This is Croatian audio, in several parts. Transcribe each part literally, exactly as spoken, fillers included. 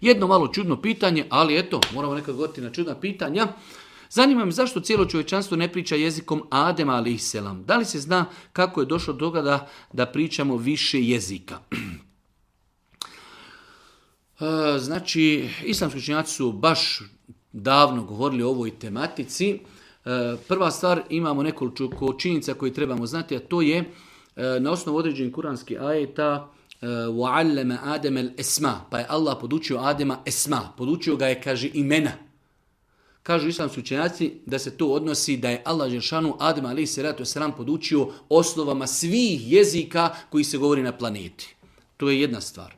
Jedno malo čudno pitanje, ali eto, moramo nekad govoriti na čudna pitanja. Zanima me zašto cijelo čovječanstvo ne priča jezikom Adema alejselam. Da li se zna kako je došlo do toga da, da pričamo više jezika? Znači, islamski učenjaci su baš davno govorili o ovoj tematici. Prva stvar, imamo nekoliko činjenica koje trebamo znati, a to je na osnovu određenih kuranskih ajeta وَعَلَّمَ آدَمَ الْأَسْمَا, pa je Allah podučio Adema esma, podučio ga je, kaže, imena. Kažu islamski učenjaci da se to odnosi da je Allah dželešanu Adema alejselam podučio osnovama svih jezika koji se govori na planeti. To je jedna stvar.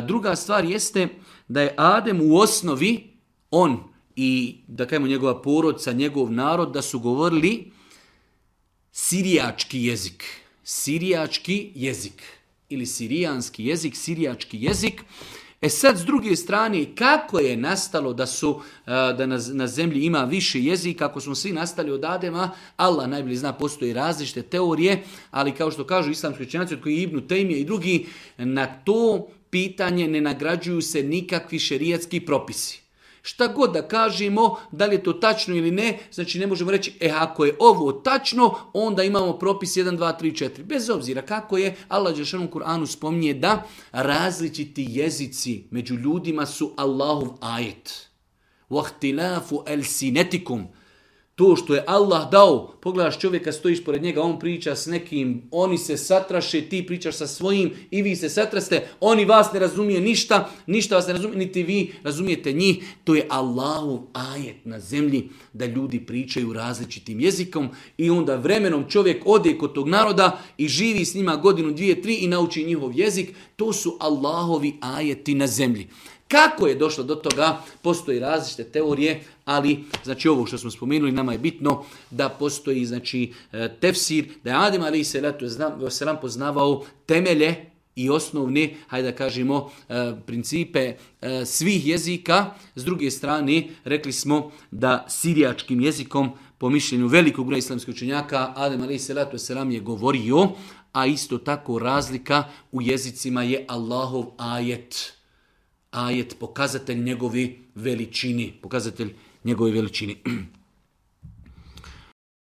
Druga stvar jeste da je Adem u osnovi, on i da kažemo njegova porodca, njegov narod, da su govorili sirijački jezik. Sirijački jezik ili sirijanski jezik, sirijački jezik. E sad, s druge strane, kako je nastalo da su da na, na zemlji ima više jezika, ako smo svi nastali od Adema, Allah najbolje zna, postoji različite teorije, ali kao što kažu islamski učenjaci, od koji Ibn Tejmije i drugi, na to pitanje ne nagrađuju se nikakvi šerijatski propisi. Šta god da kažemo, da li je to tačno ili ne, znači ne možemo reći, e ako je ovo tačno, onda imamo propis jedan, dva, tri, četiri. Bez obzira kako je, Allah dželešanu u Kur'anu spominje da različiti jezici među ljudima su Allahov ajet. وَاخْتِلَافُ أَلْسِنَتِكُمْ. To što je Allah dao, pogledaš čovjeka, stojiš pored njega, on priča s nekim, oni se satraše, ti pričaš sa svojim i vi se satraste, oni vas ne razumije ništa, ništa vas ne razumije, niti vi razumijete njih. To je Allahov ajet na zemlji da ljudi pričaju različitim jezikom i onda vremenom čovjek ode kod tog naroda i živi s njima godinu, dvije, tri i nauči njihov jezik. To su Allahovi ajeti na zemlji. Kako je došlo do toga, postoji različite teorije, ali znači ovo što smo spomenuli, nama je bitno da postoji znači tefsir, da je Adem alejselam poznavao temelje i osnovne, hajde da kažemo, principe svih jezika. S druge strane, rekli smo da sirijačkim jezikom, po mišljenju velikog broja islamskih učenjaka, Adem alejselam je govorio, a isto tako razlika u jezicima je Allahov ajet. Ajet, pokazatelj njegove veličini, pokazatelj njegove veličini.